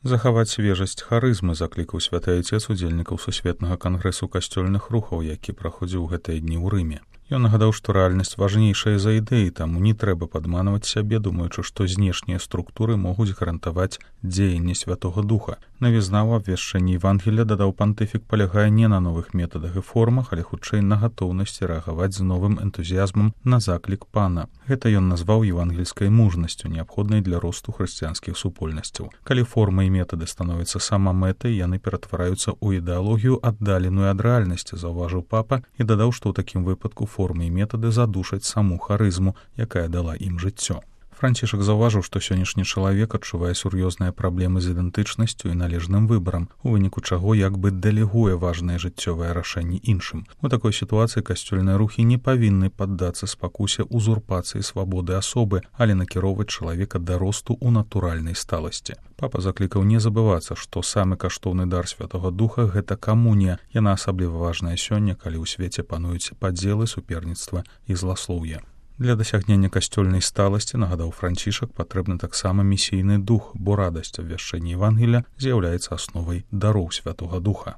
Захаваць свежасць харызмы заклікаў святы айцец удзельнікаў сусветнага кангрэсу касцёльных рухаў, які праходзіў гэтыя дні ў Рыме. Ён нагадаў, што рэальнасць важнейшая за ідэі, таму не трэба падманваць сябе, думаючы, што знешнія структуры могуць гарантаваць дзеянне Святога Духа. Навізна ў абвяшчэнні Евангелія, дадаў пантыфік, палягае не на новых метадах і формах, але хутчэй на гатоўнасці рэагаваць з новым энтузіязмам на заклік Пана. Гэта ён назваў евангельскай мужнасцю, неабходнай для росту хрысціянскіх супольнасцяў. Калі формы і метады становяцца самамэтай, яны ператвараюцца ў ідэалогію, аддаленую ад рэальнасці, заўважыў папа і дадаў, што ў такім выпадку формы і метады задушаць саму харызму, якая дала ім жыццё. Францішак заўважыў, што сённяшні чалавек адчувае сур'ёзныя праблемы з ідэнтычнасцю і належным выбарам, у выніку чаго як бы дэлегуе важныя жыццёвыя рашэнні іншым. У такой сітуацыі касцёльныя рухі не павінны паддацца спакусе узурпацыі свабоды асобы, але накіроўваць чалавека да росту ў натуральнай сталасці. Папа заклікаў не забывацца, што самы каштоўны дар Святога Духа — гэта камунія. Яна асабліва важная сёння, калі ў свеце пануюць падзелы, суперніцтва і зласлоўе. Для дасягнення касцёльнай сталасці, нагадаў Францішак, патрэбны таксама місійны дух, бо радасць абвяшчэння Евангелія з'яўляецца асновай дароў Святога Духа.